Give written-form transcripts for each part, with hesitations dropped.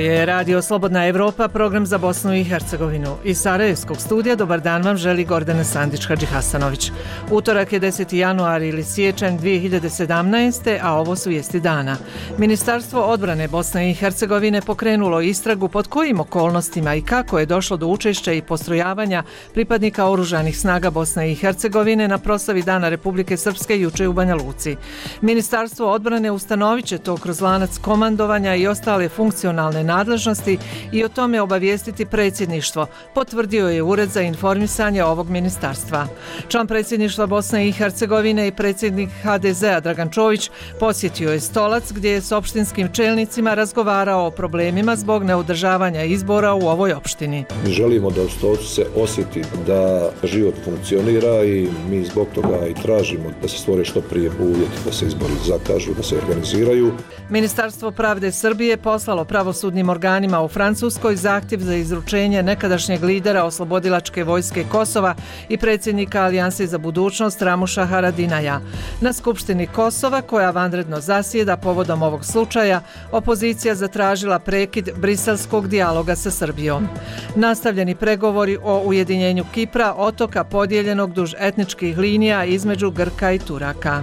je Radio Slobodna Evropa, program za Bosnu i Hercegovinu. Iz Sarajevskog studija dobar dan vam želi Gordana Sandić-Hadžihasanović. Utorak je 10. januar ili siječanj 2017. a ovo su vijesti dana. Ministarstvo odbrane Bosne i Hercegovine pokrenulo istragu pod kojim okolnostima i kako je došlo do učešća i postrojavanja pripadnika oružanih snaga Bosne i Hercegovine na proslavi Dana Republike Srpske juče u Banja Luci. Ministarstvo odbrane ustanovit će to kroz lanac komandovanja i ostale funkcionalne nadležnosti i o tome obavijestiti predsjedništvo, potvrdio je Ured za informisanje ovog ministarstva. Član predsjedništva Bosne i Hercegovine i predsjednik HDZ-a Dragan Čović posjetio je Stolac gdje je s opštinskim čelnicima razgovarao o problemima zbog neodržavanja izbora u ovoj opštini. Mi želimo da u Stolcu se osjeti da život funkcionira i mi zbog toga i tražimo da se stvore što prije uvjeti da se izbori zakažu, da se organiziraju. Ministarstvo pravde Srbije poslalo pravosudnim organima u Francuskoj zahtjev za izručenje nekadašnjeg lidera Oslobodilačke vojske Kosova i predsjednika Alijanse za budućnost Ramuša Haradinaja. Na Skupštini Kosova, koja vanredno zasjeda povodom ovog slučaja, opozicija zatražila prekid briselskog dijaloga sa Srbijom. Nastavljeni pregovori o ujedinjenju Kipra, otoka podijeljenog duž etničkih linija između Grka i Turaka.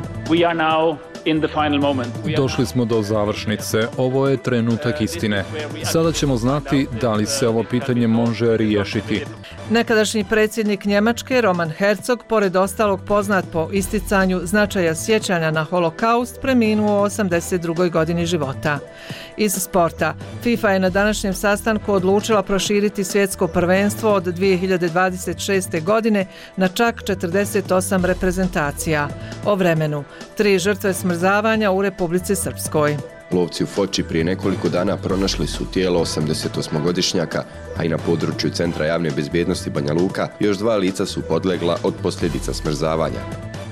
Došli smo do završnice. Ovo je trenutak istine. Sada ćemo znati da li se ovo pitanje može riješiti. Nekadašnji predsjednik Njemačke Roman Herzog, pored ostalog poznat po isticanju značaja sjećanja na holokaust, preminuo u 82. godini života. Iz sporta, FIFA je na današnjem sastanku odlučila proširiti svjetsko prvenstvo od 2026. godine na čak 48 reprezentacija. O vremenu, 3 žrtve smrzavanja u Republici Srpskoj. Lovci u Foči prije nekoliko dana pronašli su tijelo 88-godišnjaka, a i na području Centra javne bezbjednosti Banja Luka još 2 lica su podlegla od posljedica smrzavanja.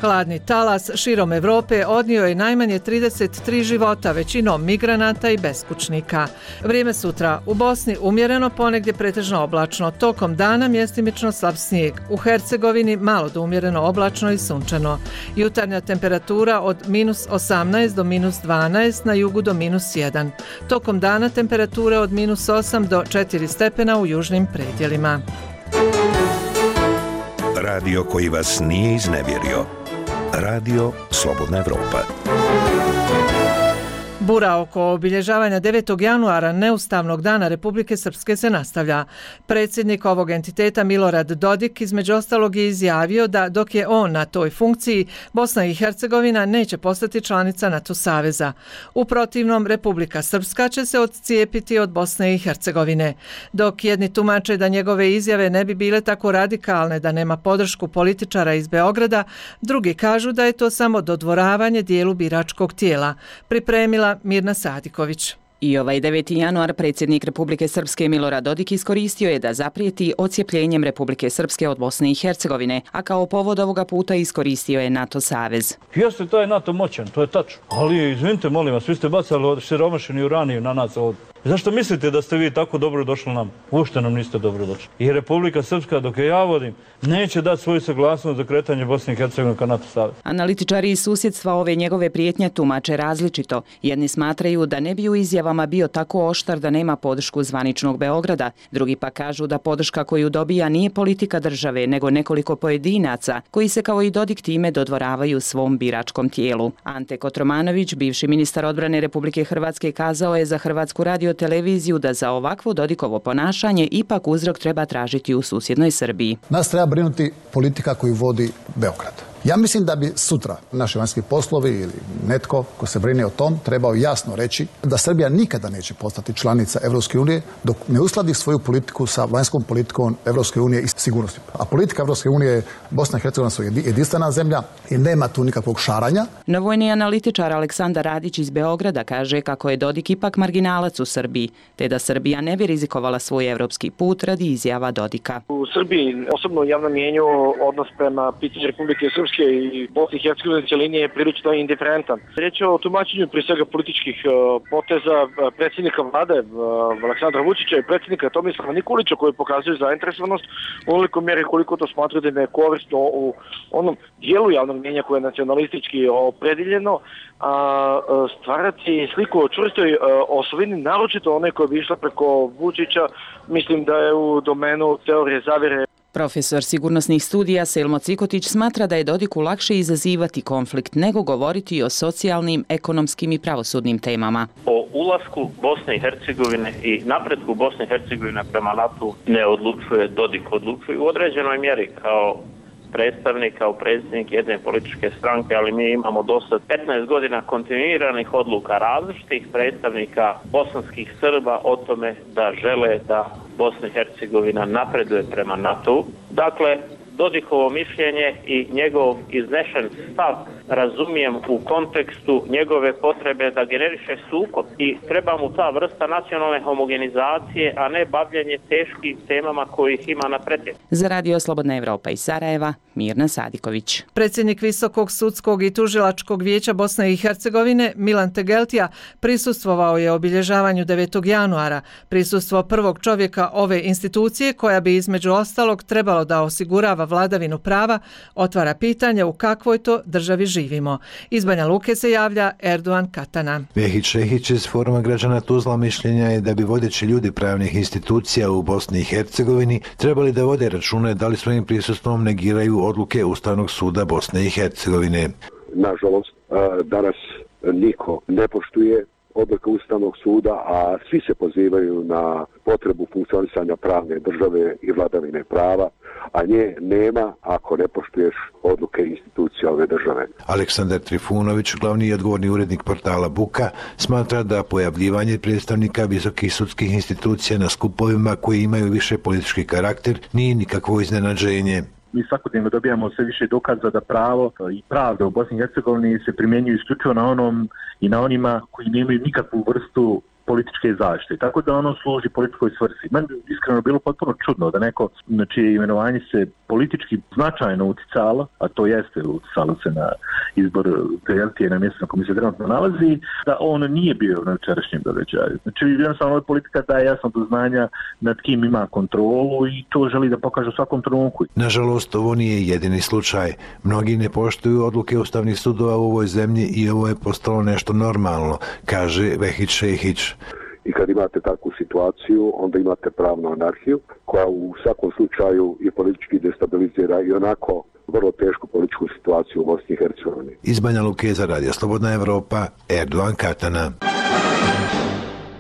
Hladni talas širom Evrope odnio je najmanje 33 života, većinom migranata i beskućnika. Vrijeme sutra u Bosni umjereno, ponegdje pretežno oblačno, tokom dana mjestimično slab snijeg. U Hercegovini malo do umjereno oblačno i sunčano. Jutarnja temperatura od -18 do -12, na jugu do -1. Tokom dana temperature od -8 do 4 stepena u južnim predjelima. Radio koji vas nije iznevjerio. Radio Slobodna Evropa. Bura oko obilježavanja 9. januara neustavnog dana Republike Srpske se nastavlja. Predsjednik ovog entiteta Milorad Dodik između ostalog je izjavio da dok je on na toj funkciji, Bosna i Hercegovina neće postati članica NATO saveza. U protivnom, Republika Srpska će se odcijepiti od Bosne i Hercegovine. Dok jedni tumače da njegove izjave ne bi bile tako radikalne da nema podršku političara iz Beograda, drugi kažu da je to samo dodvoravanje dijelu biračkog tijela. Pripremila Mirna Sadiković. I ovaj 9. januar predsjednik Republike Srpske Milorad Dodik iskoristio je da zaprijeti odcijepljenjem Republike Srpske od Bosne i Hercegovine, a kao povod ovoga puta iskoristio je NATO savez. Jeste, taj NATO moćan, to je tačno. Ali, izvinite, molim vas, vi ste bacali siromašeni uraniju na nas ovdje. Zašto mislite da ste vi tako dobro došli nam? Uopšte nam niste dobro došli. I Republika Srpska, dok je ja vodim, neće dati svoju saglasnost za kretanje Bosne i Hercegovine ka NATO savez. Analitičari iz susjedstva ove njegove prijetnje tumače različito. Jedni smatraju da ne bi u izjavama bio tako oštar da nema podršku zvaničnog Beograda. Drugi pa kažu da podrška koju dobija nije politika države, nego nekoliko pojedinaca koji se kao i Dodik time dodvoravaju svom biračkom tijelu. Ante Kotromanović, bivši ministar odbrane Republike Hrvatske, kazao je za Hrvatsku radioteleviziju da za ovakvo Dodikovo ponašanje ipak uzrok treba tražiti u susjednoj Srbiji. Nas treba brinuti politika koju vodi Beograd. Ja mislim da bi sutra naši vanjski poslovi ili netko ko se brine o tom trebao jasno reći da Srbija nikada neće postati članica Evropske unije dok ne uskladi svoju politiku sa vanjskom politikom Evropske unije i sigurnosti. A politika Evropske unije, Bosna i Hercegovina su jedinstvena zemlja i nema tu nikakvog šaranja. No vojni analitičar Aleksandar Radić iz Beograda kaže kako je Dodik ipak marginalac u Srbiji, te da Srbija ne bi rizikovala svoj evropski put radi izjava Dodika. U Srbiji, osobno u javnom mjenju, odnos prema pitanju Republike Srpske Srpske i Bosne i Hercegovine cjeline je prilično indiferentan. Riječ je o tumačenju prije svega političkih poteza predsjednika vlade Aleksandra Vučića i predsjednika Tomislava Nikolića koji pokazuju zainteresovanost u onoliko mjeri koliko to smatraju da im je korisno u onom dijelu javnog mnijenja koje je nacionalistički opredjeljeno, stvarati sliku o čvrstoj osovini, naročito one koja bi išla preko Vučića, mislim da je u domenu teorije zavjere. Profesor sigurnosnih studija Selmo Cikotić smatra da je Dodiku lakše izazivati konflikt nego govoriti o socijalnim, ekonomskim i pravosudnim temama. O ulasku Bosne i Hercegovine i napretku Bosne i Hercegovine prema NATO ne odlučuje Dodik, odlučuje u određenoj mjeri kao predstavnik, kao predsjednik jedne političke stranke, ali mi imamo dosta 15 godina kontinuiranih odluka različitih predstavnika bosanskih Srba o tome da žele da Bosna i Hercegovina napreduje prema NATO. Dakle, Dodikovo mišljenje i njegov iznešen stav razumijem u kontekstu njegove potrebe da generiše sukob i treba mu ta vrsta nacionalne homogenizacije, a ne bavljenje teškim temama kojih ima na pretjek. Za Radio Slobodna Evropa iz Sarajeva, Mirna Sadiković. Predsjednik Visokog sudskog i tužilačkog vijeća Bosne i Hercegovine Milan Tegeltija prisustvovao je obilježavanju 9. januara, prisustvo prvog čovjeka ove institucije koja bi između ostalog trebalo da osigurava vladavinu prava, otvara pitanje u kakvoj to državi živimo. Iz Banja Luke se javlja Erdogan Katana. Vehić Šehić iz Foruma građana Tuzla mišljenja je da bi vodeći ljudi pravnih institucija u Bosni i Hercegovini trebali da vode račune da li svojim prisustvom negiraju odluke Ustavnog suda Bosne i Hercegovine. Nažalost, danas niko ne poštuje odluke Ustavnog suda, a svi se pozivaju na potrebu funkcionisanja pravne države i vladavine prava, a nje nema ako ne poštuješ odluke institucija ove države. Aleksandar Trifunović, glavni i odgovorni urednik portala Buka, smatra da pojavljivanje predstavnika visokih sudskih institucija na skupovima koji imaju više politički karakter nije nikakvo iznenađenje. Mi svakodnevno dobijamo sve više dokaza da pravo i pravda u Bosni i Hercegovini se primjenjuju isključivo na onom i na onima koji nemaju nikakvu vrstu političke zaštite. Tako da ono služi političkoj svrsi. Meni iskreno bilo potpuno čudno da neko na čije imenovanje se politički značajno uticalo, a to jeste uticalo se na izbor Tegeltije na mjestu na kojem se trenutno nalazi, da on nije bio na večerašnjem događaju. Znači jednostavno politika daje jasno do znanja nad kim ima kontrolu i to želi da pokaže u svakom trenutku. Nažalost, ovo nije jedini slučaj. Mnogi ne poštuju odluke ustavnih sudova u ovoj zemlji i ovo je postalo nešto normalno, kaže Vehić Šehić. I kad imate takvu situaciju, onda imate pravnu anarhiju, koja u svakom slučaju i politički destabilizira i onako vrlo tešku političku situaciju u Bosni i Hercegovini. Iz Banja Luke za Radio Slobodna Evropa, Erdogan Katana.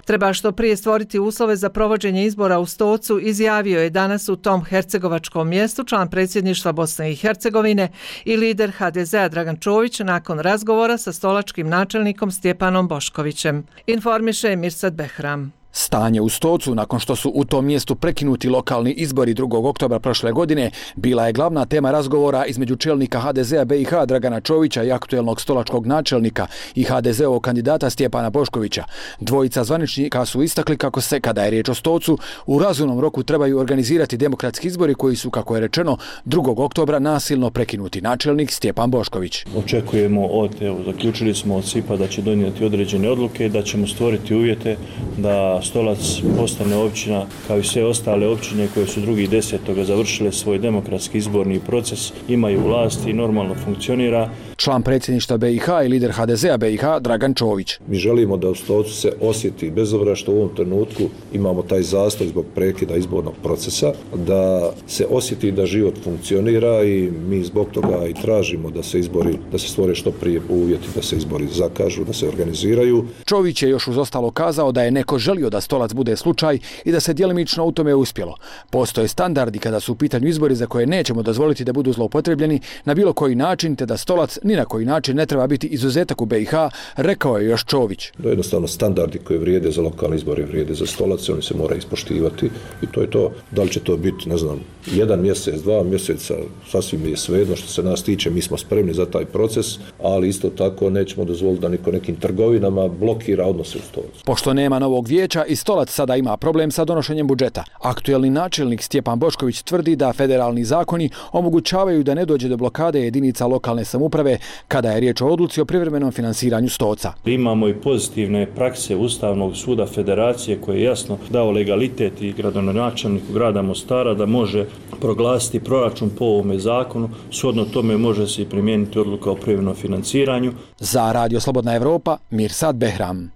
Treba što prije stvoriti uslove za provođenje izbora u Stocu, izjavio je danas u tom hercegovačkom mjestu član predsjedništva Bosne i Hercegovine i lider HDZ-a Dragan Čović nakon razgovora sa stolačkim načelnikom Stjepanom Boškovićem. Informiše Mirsad Behram. Stanje u Stocu, nakon što su u tom mjestu prekinuti lokalni izbori 2. oktobra prošle godine, bila je glavna tema razgovora između čelnika HDZ-a BiH Dragana Čovića i aktuelnog stolačkog načelnika i HDZ-ovog kandidata Stjepana Boškovića. Dvojica zvaničnika su istakli kako se, kada je riječ o Stocu, u razumnom roku trebaju organizirati demokratski izbori koji su, kako je rečeno, 2. oktobra nasilno prekinuti. Načelnik Stjepan Bošković. Očekujemo zaključili smo od SIP-a da će donijeti određene odluke, da ćemo stvoriti uvjete da Stolac postane općina kao i sve ostale općine koje su 2.10. završile svoj demokratski izborni proces, imaju vlast i normalno funkcionira. Član predsjedništva BiH i lider HDZ-a BiH Dragan Čović. Mi želimo da u Stocu se osjeti, bez obzira što u ovom trenutku imamo taj zastoj zbog prekida izbornog procesa, da se osjeti da život funkcionira i mi zbog toga i tražimo da se izbori, da se stvore što prije uvjeti da se izbori zakažu, da se organiziraju. Čović je još uz ostalo kazao da je neko želio da Stolac bude slučaj i da se djelimično u tome uspjelo. Postoje standardi kada su u pitanju izbori za koje nećemo dozvoliti da budu zloupotrebljeni na bilo koji način, te da Stolac ni na koji način ne treba biti izuzetak u BiH, rekao je još Čović. To je jednostavno standardi koji vrijede za lokalne izbore, vrijede za Stolac, oni se moraju ispoštivati i to je to. Da li će to biti, ne znam, 1 mjesec, 2 mjeseca, sasvim je svejedno što se nas tiče, mi smo spremni za taj proces, ali isto tako nećemo dozvoliti da niko nekim trgovinama blokira odnose u Stolacu. Pošto nema novog vijeća, Kipra i Stolac sada ima problem sa donošenjem budžeta. Aktuelni načelnik Stjepan Bošković tvrdi da federalni zakoni omogućavaju da ne dođe do blokade jedinica lokalne samouprave kada je riječ o odluci o privremenom finansiranju Stoca. Imamo i pozitivne prakse Ustavnog suda Federacije koji je jasno dao legalitet i gradonačelniku grada Mostara da može proglasiti proračun po ovome zakonu. Shodno tome može se i primijeniti odluka o privremenom financiranju. Za Radio Slobodna Evropa, Mirsad Behram.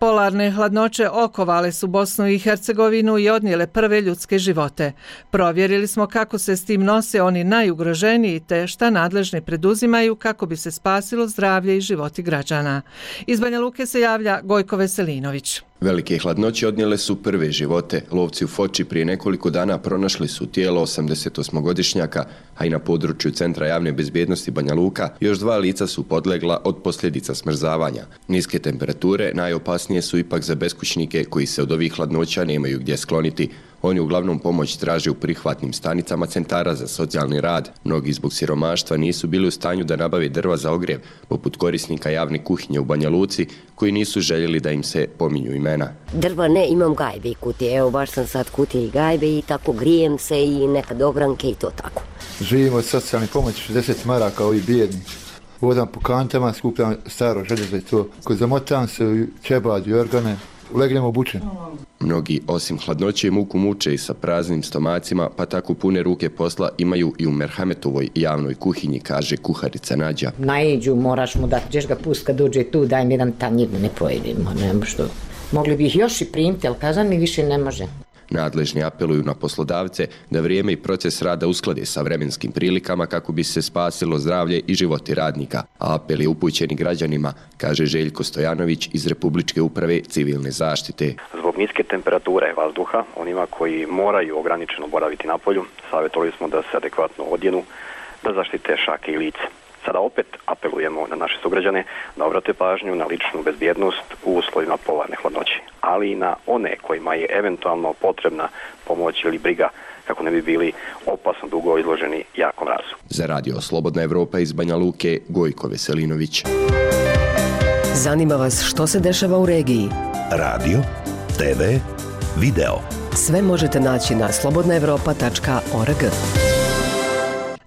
Polarne hladnoće okovale su Bosnu i Hercegovinu i odnijele prve ljudske živote. Provjerili smo kako se s tim nose oni najugroženiji te šta nadležni preduzimaju kako bi se spasilo zdravlje i životi građana. Iz Banja Luke se javlja Gojko Veselinović. Velike hladnoće odnijele su prve živote. Lovci u Foči prije nekoliko dana pronašli su tijelo 88-godišnjaka, a i na području Centra javne bezbjednosti Banja Luka još 2 lica su podlegla od posljedica smrzavanja. Niske temperature najopasnije su ipak za beskućnike koji se od ovih hladnoća nemaju gdje skloniti. Oni uglavnom pomoć traže u prihvatnim stanicama centara za socijalni rad. Mnogi zbog siromaštva nisu bili u stanju da nabave drva za ogrjev, poput korisnika javne kuhinje u Banja Luci, koji nisu željeli da im se pominju imena. Drva ne, imam gajbe i kutije. Evo, baš sam sad kutije i gajbe i tako grijem se i nekad ogranke i to tako. Živimo od socijalne pomoći 60 maraka, ovi bijedni. Vodam po kantama, skupljam staro željezo i to. Ko zamotam se u čebad i organe, legnemo obučen. Mnogi osim hladnoće i muku muče i sa praznim stomacima, pa tako pune ruke posla imaju i u Merhametovoj javnoj kuhinji, kaže kuharica Nađa. Najeđu, moraš mu dati, ćeš ga pust kad dođe tu, daj mi jedan tanjir, ne pojedimo, nema što. Mogli bi ih još i primiti, ali kazan mi više ne može. Nadležni apeluju na poslodavce da vrijeme i proces rada usklade sa vremenskim prilikama kako bi se spasilo zdravlje i životi radnika. A apel je upućen građanima, kaže Željko Stojanović iz Republičke uprave civilne zaštite. Zbog niske temperature vazduha, onima koji moraju ograničeno boraviti na polju, savjetovali smo da se adekvatno odjenu, da zaštite šake i lice. Sada opet apelujemo na naše sugrađane da obrate pažnju na ličnu bezbjednost u uslovima polarne hladnoće, ali i na one kojima je eventualno potrebna pomoć ili briga kako ne bi bili opasno dugo izloženi jakom mrazu. Za Radio Slobodna Evropa iz Banja Luke, Gojko Veselinović. Zanima vas što se dešava u regiji? Radio, TV, video. Sve možete naći na slobodnaevropa.org.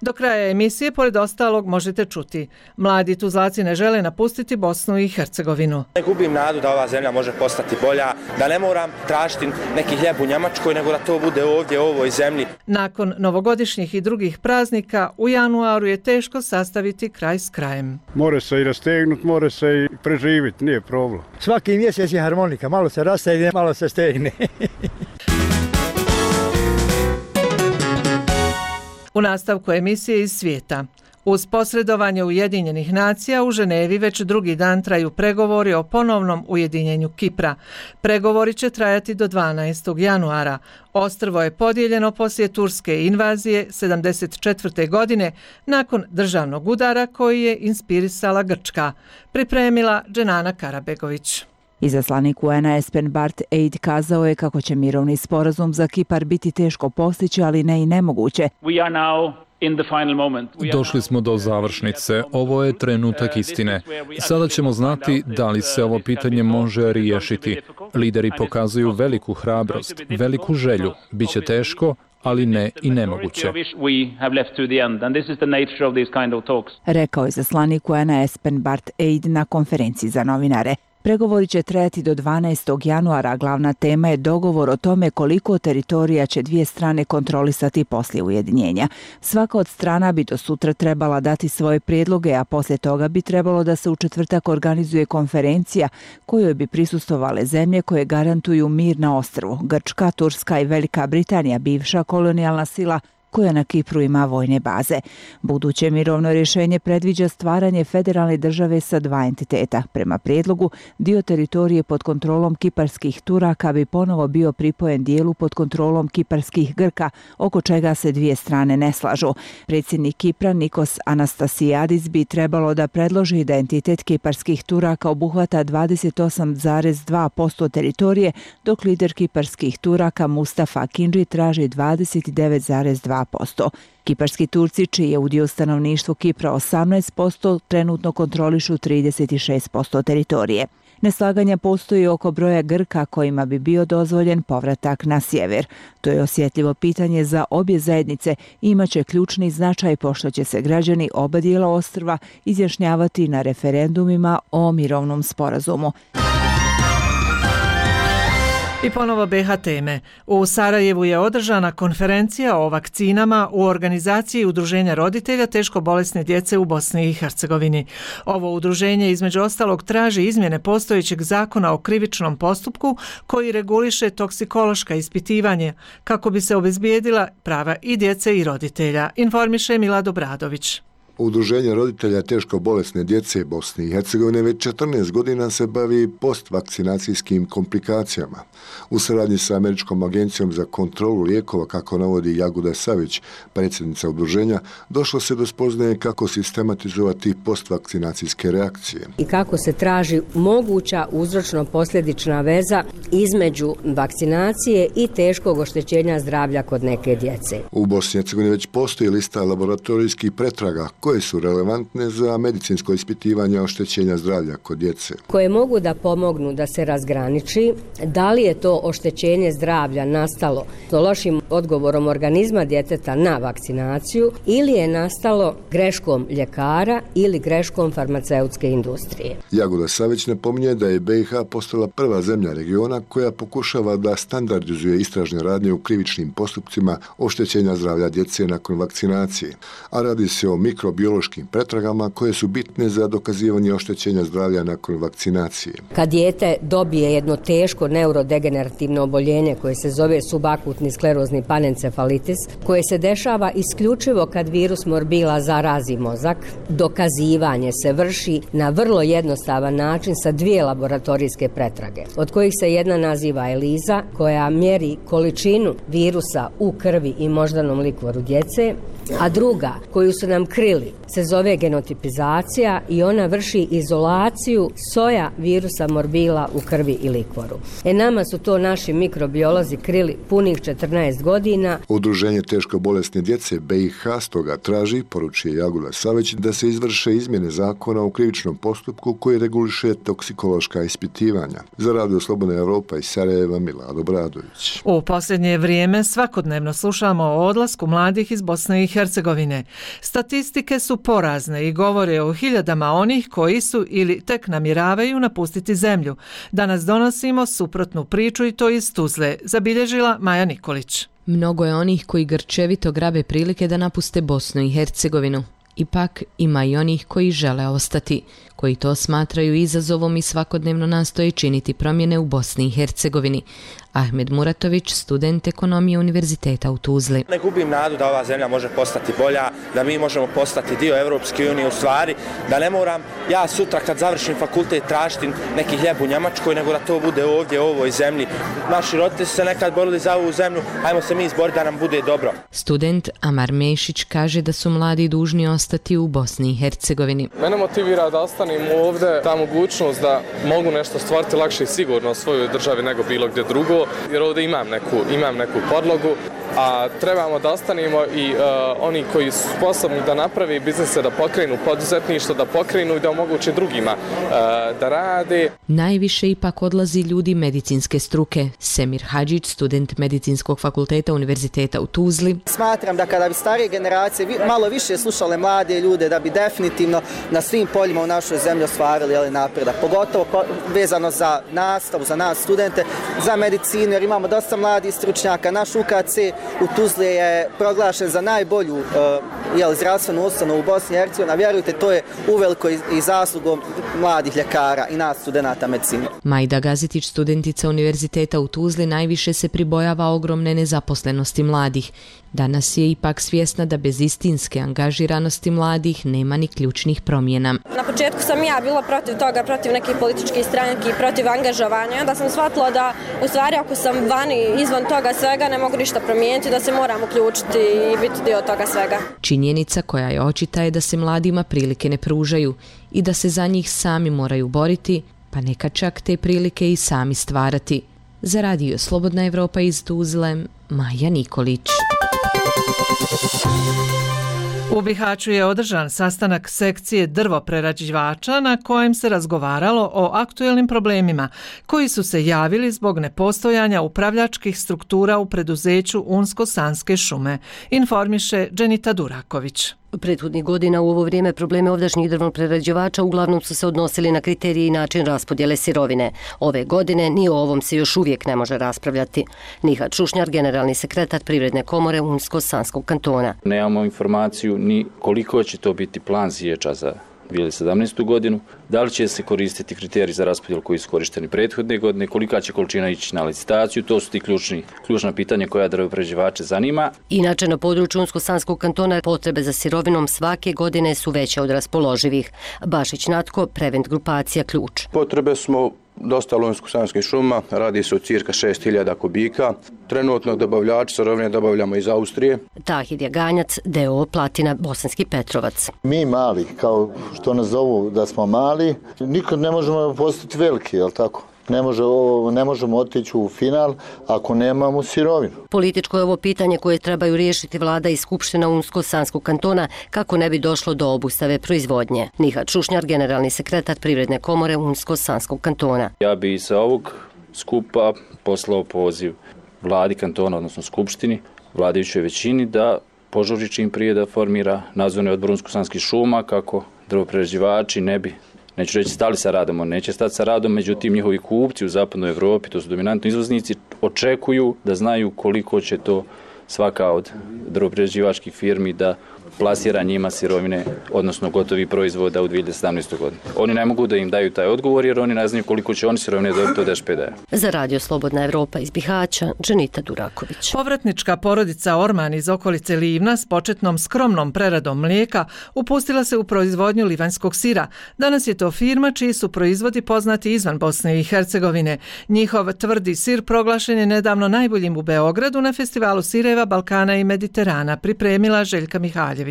Do kraja emisije, pored ostalog, možete čuti. Mladi Tuzlaci ne žele napustiti Bosnu i Hercegovinu. Ne gubim nadu da ova zemlja može postati bolja, da ne moram tražiti neki hljeb u Njemačkoj, nego da to bude ovdje, u ovoj zemlji. Nakon novogodišnjih i drugih praznika, u januaru je teško sastaviti kraj s krajem. More se i rastegnuti, more se i preživiti, nije problem. Svaki mjesec je harmonika, malo se rastegne, malo se stegne. U nastavku emisije iz svijeta. Uz posredovanje Ujedinjenih nacija u Ženevi već drugi dan traju pregovori o ponovnom ujedinjenju Kipra. Pregovori će trajati do 12. januara. Ostrvo je podijeljeno poslije turske invazije 1974. godine nakon državnog udara koji je inspirisala Grčka. Pripremila Dženana Karabegović. Izaslanik UN-a Espen Barth Eid kazao je kako će mirovni sporazum za Kipar biti teško postići, ali ne i nemoguće. Došli smo do završnice. Ovo je trenutak istine. Sada ćemo znati da li se ovo pitanje može riješiti. Lideri pokazuju veliku hrabrost, veliku želju. Biće teško, ali ne i nemoguće. Rekao je izaslanik UN-a Espen Barth Eid na konferenciji za novinare. Pregovori će trajati do 12. januara, glavna tema je dogovor o tome koliko teritorija će dvije strane kontrolisati poslije ujedinjenja. Svaka od strana bi do sutra trebala dati svoje prijedloge, a poslije toga bi trebalo da se u četvrtak organizuje konferencija kojoj bi prisustvovale zemlje koje garantuju mir na ostrvu. Grčka, Turska i Velika Britanija, bivša kolonijalna sila koja na Kipru ima vojne baze. Buduće mirovno rješenje predviđa stvaranje federalne države sa 2 entiteta. Prema prijedlogu, dio teritorije pod kontrolom kiparskih Turaka bi ponovo bio pripojen dijelu pod kontrolom kiparskih Grka, oko čega se dvije strane ne slažu. Predsjednik Kipra Nikos Anastasiadis bi trebalo da predloži da entitet kiparskih Turaka obuhvata 28,2% teritorije, dok lider kiparskih Turaka Mustafa Kinji traži 29,2%. Kiparski Turci, čiji je udio stanovništvu Kipra 18%, trenutno kontrolišu 36% teritorije. Neslaganja postoji oko broja Grka kojima bi bio dozvoljen povratak na sjever. To je osjetljivo pitanje za obje zajednice i imaće ključni značaj pošto će se građani oba dijela ostrva izjašnjavati na referendumima o mirovnom sporazumu. I ponovo BiH teme. U Sarajevu je održana konferencija o vakcinama u organizaciji Udruženja roditelja teško bolesne djece u Bosni i Hercegovini. Ovo udruženje između ostalog traži izmjene postojećeg zakona o krivičnom postupku koji reguliše toksikološka ispitivanja kako bi se obezbijedila prava i djece i roditelja, informiše Milado Bradović. Udruženje roditelja teško bolesne djece Bosne i Hercegovine već 14 godina se bavi postvakcinacijskim komplikacijama. U saradnji sa Američkom agencijom za kontrolu lijekova, kako navodi Jaguda Savić, predsjednica udruženja, došlo se do spoznaje kako sistematizovati postvakcinacijske reakcije. I kako se traži moguća uzročno-posljedična veza između vakcinacije i teškog oštećenja zdravlja kod neke djece. U Bosni i Hercegovini već postoji lista laboratorijskih pretraga koje su relevantne za medicinsko ispitivanje oštećenja zdravlja kod djece. Koje mogu da pomognu da se razgraniči da li je to oštećenje zdravlja nastalo lošim odgovorom organizma djeteta na vakcinaciju ili je nastalo greškom ljekara ili greškom farmaceutske industrije. Jagoda Savić napominje da je BiH postala prva zemlja regiona koja pokušava da standardizuje istražne radnje u krivičnim postupcima oštećenja zdravlja djece nakon vakcinacije, a radi se o mikrobiološkim pretragama koje su bitne za dokazivanje oštećenja zdravlja nakon vakcinacije. Kad dijete dobije jedno teško neurodegenerativno oboljenje koje se zove subakutni sklerozni panencefalitis, koje se dešava isključivo kad virus morbila zarazi mozak, dokazivanje se vrši na vrlo jednostavan način sa 2 laboratorijske pretrage, od kojih se jedna naziva ELISA, koja mjeri količinu virusa u krvi i moždanom likvoru djece, a druga, koju su nam krili, se zove genotipizacija i ona vrši izolaciju soja virusa morbila u krvi i likvoru. Nama su to naši mikrobiolozi krili punih 14 godina. Udruženje teško bolesne djece BiH stoga traži, poručuje Jaguda Savić, da se izvrše izmjene zakona o krivičnom postupku koji reguliše toksikološka ispitivanja. Za Radio Slobodna Evropa iz Sarajeva, Milado Bradović. U posljednje vrijeme svakodnevno slušamo o odlasku mladih iz Bosne i Hercegovine. Statistike su porazne i govore o hiljadama onih koji su ili tek namjeravaju napustiti zemlju. Danas donosimo suprotnu priču i to iz Tuzle, zabilježila Maja Nikolić. Mnogo je onih koji grčevito grabe prilike da napuste Bosnu i Hercegovinu. Ipak ima i onih koji žele ostati, koji to smatraju izazovom i svakodnevno nastoje činiti promjene u Bosni i Hercegovini. Ahmed Muratović, student ekonomije Univerziteta u Tuzli. Ne gubim nadu da ova zemlja može postati bolja, da mi možemo postati dio Evropske unije, u stvari, da ne moram ja sutra kad završim fakultet tražiti neki hljeb u Njemačkoj, nego da to bude ovdje u ovoj zemlji. Naši roditelji su se nekad borili za ovu zemlju, ajmo se mi izboriti da nam bude dobro. Student Amar Mešić kaže da su mladi dužni ostati u Bosni i Hercegovini. Mene motivira da ostanem ovdje, ta mogućnost da mogu nešto stvoriti lakše i sigurno u svojoj državi nego bilo gdje drugo, jer ovdje imam neku podlogu, a trebamo da ostanemo i oni koji su sposobni da napravi biznise, da pokrenu poduzetništvo, da pokrenu i da omoguće drugima da rade. Najviše ipak odlazi ljudi medicinske struke. Semir Hadžić, student medicinskog fakulteta Univerziteta u Tuzli. Smatram da kada bi starije generacije malo više slušale mlade ljude, da bi definitivno na svim poljima u našoj zemlji ostvarili napredak. Pogotovo vezano za nastavu, za nas studente, za medicinu, jer imamo dosta mladih stručnjaka. Naš UKC u Tuzli je proglašen za najbolju zdravstvenu ustanovu u Bosni i Hercegovini. Vjerujte, to je uveliko i zaslugom mladih ljekara i nas studenata medicine. Majda Gazitić, studentica Univerziteta u Tuzli, najviše se pribojava ogromne nezaposlenosti mladih. Danas je ipak svjesna da bez istinske angažiranosti mladih nema ni ključnih promjena. Na početku sam ja bila protiv toga, protiv nekih političkih stranki, protiv angažovanja. Onda sam shvatila da u stvari ako sam vani izvan toga svega ne mogu ništa promijeniti, da se moram uključiti i biti dio toga svega. Činjenica koja je očita je da se mladima prilike ne pružaju i da se za njih sami moraju boriti, pa neka čak te prilike i sami stvarati. Za Radio Slobodna Evropa iz Tuzle, Maja Nikolić. U Bihaću je održan sastanak sekcije drvoprerađivača na kojem se razgovaralo o aktuelnim problemima koji su se javili zbog nepostojanja upravljačkih struktura u preduzeću Unsko-Sanske šume, informiše Dženita Duraković. Prethodnih godina u ovo vrijeme probleme ovdašnjih drvoprerađivača uglavnom su se odnosili na kriterije i način raspodjele sirovine. Ove godine ni o ovom se još uvijek ne može raspravljati. Nihat Šušnjar, generalni sekretar Privredne komore Unsko-Sanskog kantona. Nemamo informaciju ni koliko će to biti plan siječa za 2017. godinu, da li će se koristiti kriteriji za raspodjelu koji su korišteni prethodne godine, kolika će količina ići na licitaciju, to su ti ključna pitanja koja drvoprerađivače zanima. Inače, na području Unsko-Sanskog kantona potrebe za sirovinom svake godine su veće od raspoloživih. Bašić Natko, Prevent grupacija Ključ. Potrebe smo dosta Unsko-Sanskih šuma, radi se o cirka 6000 kubika. Trenutno dobavljač sirovine dobavljamo iz Austrije. Tahir Jaganjac, DO Platina, Bosanski Petrovac. Mi mali, kao što nas zovu da smo mali, nikad ne možemo postati veliki, jel tako? Ne možemo otići u final ako nemamo sirovinu. Političko je ovo pitanje koje trebaju riješiti vlada i skupština Unsko-Sanskog kantona kako ne bi došlo do obustave proizvodnje. Nihat Šušnjar, generalni sekretar Privredne komore Unsko-Sanskog kantona. Ja bi sa ovog skupa poslao poziv vladi kantona, odnosno skupštini, vladajućoj većini da požuri čim prije da formira nadzorni odbor Unsko-Sanskih šuma kako drvoprerađivači ne bi, neću reći stali sa radom, on neće stati sa radom, međutim njihovi kupci u zapadnoj Evropi, to su dominantni izvoznici, očekuju da znaju koliko će to svaka od drvoprerađivačkih firmi da plasira njima sirovine, odnosno gotovi proizvoda u 2017. godini. Oni ne mogu da im daju taj odgovor jer oni ne znaju koliko će oni sirovine dobiti od SPD-a. Za Radio Slobodna Evropa iz Bihaća, Dženita Duraković. Povratnička porodica Orman iz okolice Livna s početnom skromnom preradom mlijeka upustila se u proizvodnju livanjskog sira. Danas je to firma čiji su proizvodi poznati izvan Bosne i Hercegovine. Njihov tvrdi sir proglašen je nedavno najboljim u Beogradu na festivalu sireva Balkana i Mediterana, pripremila Željka Mihaljević.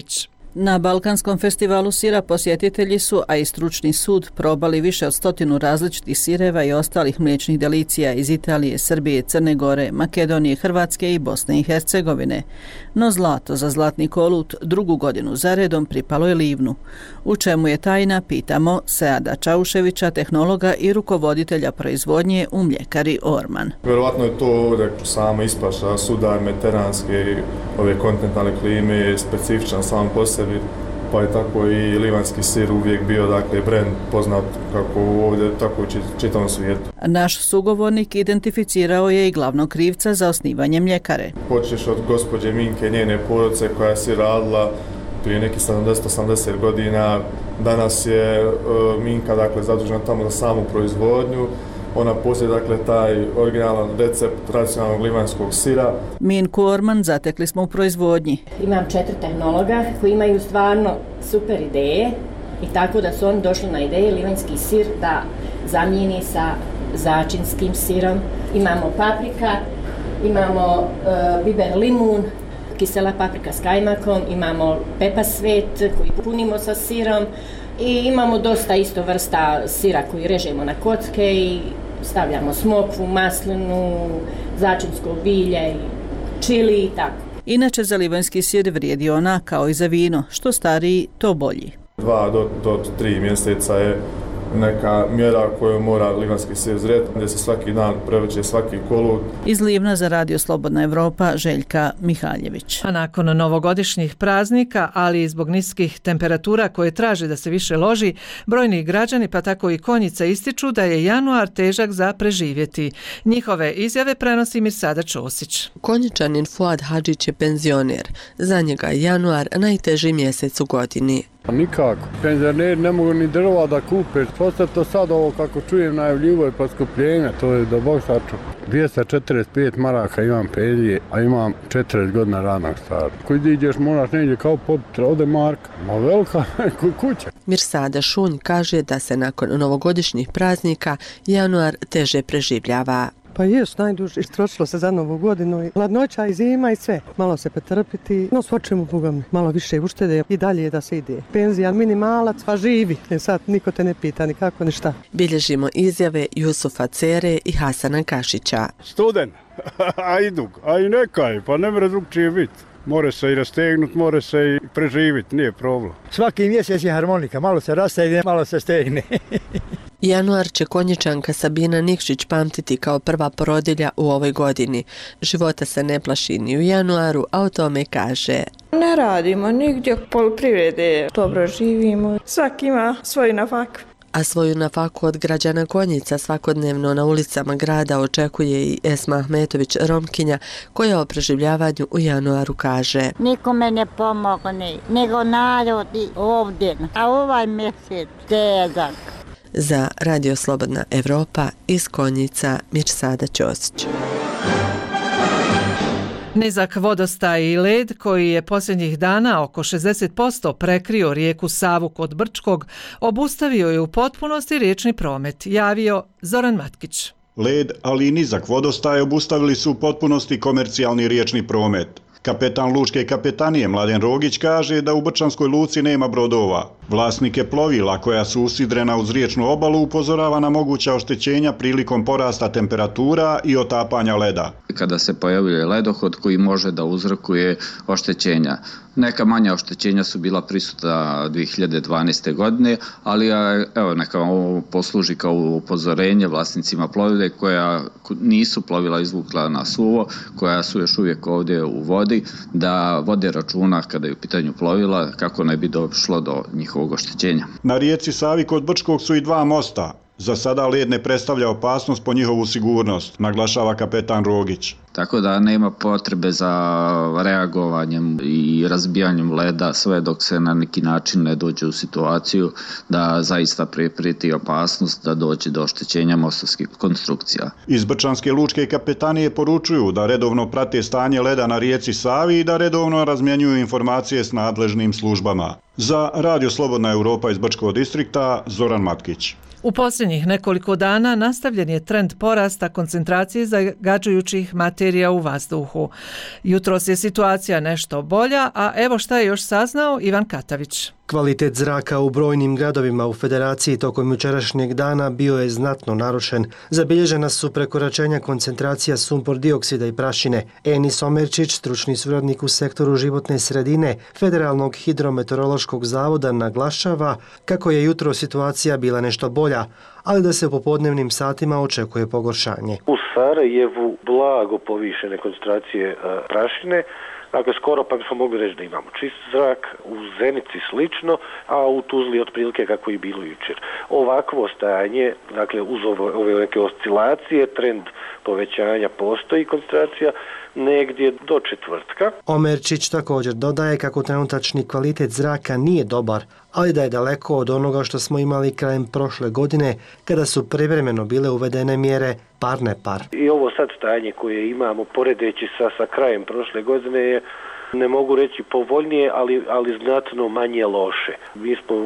Na Balkanskom festivalu sira posjetitelji su, a i stručni sud, probali više od 100 različitih sireva i ostalih mliječnih delicija iz Italije, Srbije, Crne Gore, Makedonije, Hrvatske i Bosne i Hercegovine. No zlato za zlatni kolut drugu godinu zaredom pripalo je Livnu. U čemu je tajna, pitamo Seada Čauševića, tehnologa i rukovoditelja proizvodnje u mljekari Orman. Vjerovatno je to ovdje sama ispaša, sudar, mediteranske, ove kontinentalne klime, specifičan sam po sebi, pa je tako i livanjski sir uvijek bio, dakle, brend poznat kako ovdje, tako u čitavom svijetu. Naš sugovornik identificirao je i glavnog krivca za osnivanje mljekare. Počeš od gospođe Minke, njene porodice koja si radila prije nekih 70-80 godina. Danas je Minka, dakle, zadužena tamo za samu proizvodnju. Ona posjeduje, dakle, taj originalan recept tradicionalnog livanjskog sira. Minku Orman zatekli smo u proizvodnji. Imam 4 tehnologa koji imaju stvarno super ideje i tako da su oni došli na ideje livanjski sir da zamijeni sa začinskim sirom. Imamo paprika, imamo biber limun, kisela paprika s kajmakom, imamo pepa svet koji punimo sa sirom i imamo dosta isto vrsta sira koji režemo na kocke i stavljamo smokvu, maslinu, začinsko bilje, čili i tako. Inače za livanjski sir vrijedi ona kao i za vino, što stariji to bolji. 2 do 3 mjeseca je neka mjera koju mora livanjski sir zreti, gdje se svaki dan prevrće svaki kolut. Iz Livna za Radio Slobodna Evropa, Željka Mihaljević. A nakon novogodišnjih praznika, ali i zbog niskih temperatura koje traže da se više loži, brojni građani, pa tako i konjice, ističu da je januar težak za preživjeti. Njihove izjave prenosi Mirsada Ćosić. Konjičanin Fuad Hadžić je penzioner. Za njega je januar najteži mjesec u godini. Nikako. Penzioneri ne mogu ni drva da kupe. Posle to sad ovo kako čujem najavljivo je poskupljenja, to je da Bog sačuva. 245 maraka imam penzije, a imam 40 godina radnog staža. Koji ideš moraš negdje kao popiti, ode marka. Ma velika kuća. Mirsada Šunj kaže da se nakon novogodišnjih praznika januar teže preživljava. Pa jest najduže, istrošilo se za novu godinu i hladnoća i zima i sve. Malo se pretrpiti, no svočemu bugam, malo više uštede i dalje da se ide. Penzija minimalac, pa živi. Sad niko te ne pita ni kako ni šta. Bilježimo izjave Jusufa Cere i Hasana Kašića. Student, a idug, a i nekaj, pa ne mre drugčije biti. More se i rastegnuti, more se i preživiti, nije problem. Svaki mjesec je harmonika, malo se rastegne, malo se stegne. Januar će Konjičanka Sabina Nikšić pamtiti kao prva porodilja u ovoj godini. Života se ne plaši ni u januaru, a o tome kaže: Ne radimo nigdje, poljoprivrede, dobro živimo, svaki ima svoj nafak. A svoju nafaku od građana Konjica svakodnevno na ulicama grada očekuje i Esma Ahmetović Romkinja, koja o preživljavanju u januaru kaže: Nikome ne pomogne, nego narodi ovdje, a ovaj mjesec težak. Za Radio Slobodna Evropa iz Konjica, Mirsada Ćosić. Nizak vodostaj i led koji je posljednjih dana oko 60% prekrio rijeku Savu kod Brčkog, obustavio je u potpunosti riječni promet, javio Zoran Matkić. Led, ali i nizak vodostaj obustavili su u potpunosti komercijalni riječni promet. Kapetan Lučke kapetanije Mladen Rogić kaže da u Brčanskoj luci nema brodova. Vlasnike plovila koja su usidrena uz riječnu obalu upozorava na moguća oštećenja prilikom porasta temperatura i otapanja leda. Kada se pojavljuje ledohod koji može da uzrokuje oštećenja. Neka manja oštećenja su bila prisutna 2012. godine, ali evo, neka ovo posluži kao upozorenje vlasnicima plovile koja nisu plovila izvukla na suvo, koja su još uvijek ovdje u vodi, da vode računa kada je u pitanju plovila kako ne bi došlo do njihovog oštećenja. Na rijeci Savi kod Brčkog su i dva mosta. Za sada led ne predstavlja opasnost po njihovu sigurnost, naglašava kapetan Rogić. Tako da nema potrebe za reagovanjem i razbijanjem leda sve dok se na neki način ne dođe u situaciju da zaista prijeti opasnost da dođe do oštećenja mostarskih konstrukcija. Iz Brčanske lučke kapetanije poručuju da redovno prate stanje leda na rijeci Savi i da redovno razmjenjuju informacije s nadležnim službama. Za Radio Slobodna Evropa iz Brčkog distrikta, Zoran Matkić. U posljednjih nekoliko dana nastavljen je trend porasta koncentracije zagađujućih materija u vazduhu. Jutros je situacija nešto bolja, a evo šta je još saznao Ivan Katavić. Kvalitet zraka u brojnim gradovima u Federaciji tokom jučerašnjeg dana bio je znatno narušen. Zabilježena su prekoračenja koncentracija sumpor dioksida i prašine. Enis Omerčić, stručni suradnik u sektoru životne sredine Federalnog hidrometeorološkog zavoda, naglašava kako je jutro situacija bila nešto bolja, ali da se u popodnevnim satima očekuje pogoršanje. U Sarajevu blago povišene koncentracije prašine, dakle skoro pa bismo mogli reći da imamo čist zrak, u Zenici slično, a u Tuzli otprilike kako je bilo jučer. Ovakvo stajanje, dakle uz ove neke oscilacije, trend povećanja postoji koncentracija negdje do četvrtka. Omerčić također dodaje kako trenutačni kvalitet zraka nije dobar, ali da je daleko od onoga što smo imali krajem prošle godine kada su privremeno bile uvedene mjere par ne par. I ovo sad stajanje koje imamo poredeći sa krajem prošle godine je, ne mogu reći povoljnije, ali znatno manje loše. Mi smo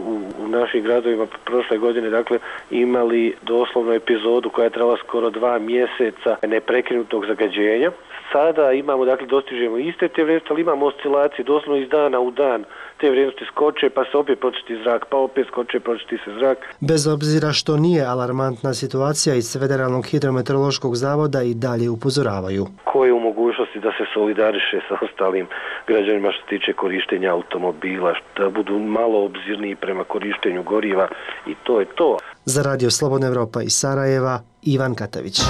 u našim gradovima prošle godine dakle imali doslovno epizodu koja je trajala skoro 2 mjeseca neprekrinutog zagađenja. Sada imamo, dakle, dostižemo iste te vrijednosti, ali imamo oscilacije doslovno iz dana u dan. Te vrijednosti skoče, pa se opet pročisti zrak, pa opet skoče, pročisti se zrak. Bez obzira što nije alarmantna situacija, iz Federalnog hidrometeorološkog zavoda i dalje upozoravaju. Ko je u mogućnosti da se solidariše sa ostalim građanima što se tiče korištenja automobila, da budu malo obzirniji prema korištenju goriva i to je to. Za Radio Slobodna Evropa iz Sarajeva, Ivan Katavić.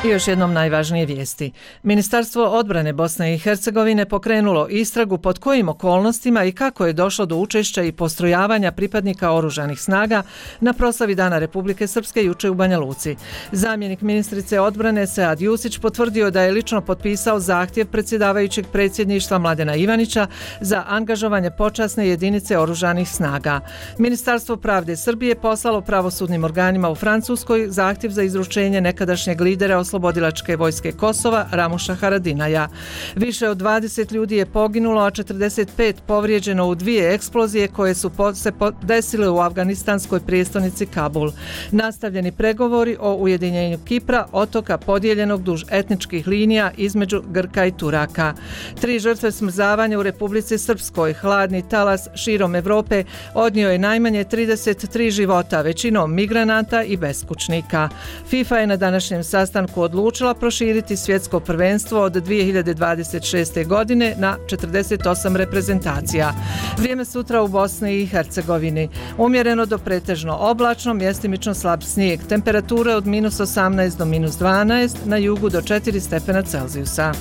I još jednom najvažnije vijesti. Ministarstvo odbrane Bosne i Hercegovine pokrenulo istragu pod kojim okolnostima i kako je došlo do učešća i postrojavanja pripadnika oružanih snaga na proslavi Dana Republike Srpske juče u Banja Luci. Zamjenik ministrice odbrane Sead Jusić potvrdio da je lično potpisao zahtjev predsjedavajućeg predsjedništva Mladena Ivanića za angažovanje počasne jedinice oružanih snaga. Ministarstvo pravde Srbije poslalo pravosudnim organima u Francuskoj zahtjev za izručenje nekadašnjeg lidera Oslobodilačke vojske Kosova Ramuša Haradinaja. Više od 20 ljudi je poginulo, a 45 povrijeđeno u 2 eksplozije koje su se desile u afganistanskoj prijestolnici Kabul. Nastavljeni pregovori o ujedinjenju Kipra, otoka podijeljenog duž etničkih linija između Grka i Turaka. 3 žrtve smrzavanja u Republici Srpskoj. Hladni talas širom Evrope odnio je najmanje 33 života, većinom migranata i beskućnika. FIFA je na današnjem sastanku tako odlučila proširiti svjetsko prvenstvo od 2026. godine na 48 reprezentacija. Vrijeme sutra u Bosni i Hercegovini. Umjereno do pretežno oblačno, mjestimično slab snijeg. Temperature od -18 do -12, na jugu do 4 stepena Celzijusa.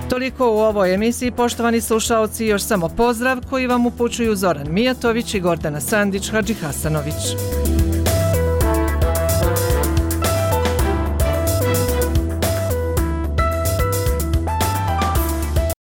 Toliko u ovoj emisiji, poštovani slušaoci, još samo pozdrav koji vam upućuju Zoran Mijatović i Gordana Sandić Hadžihasanović.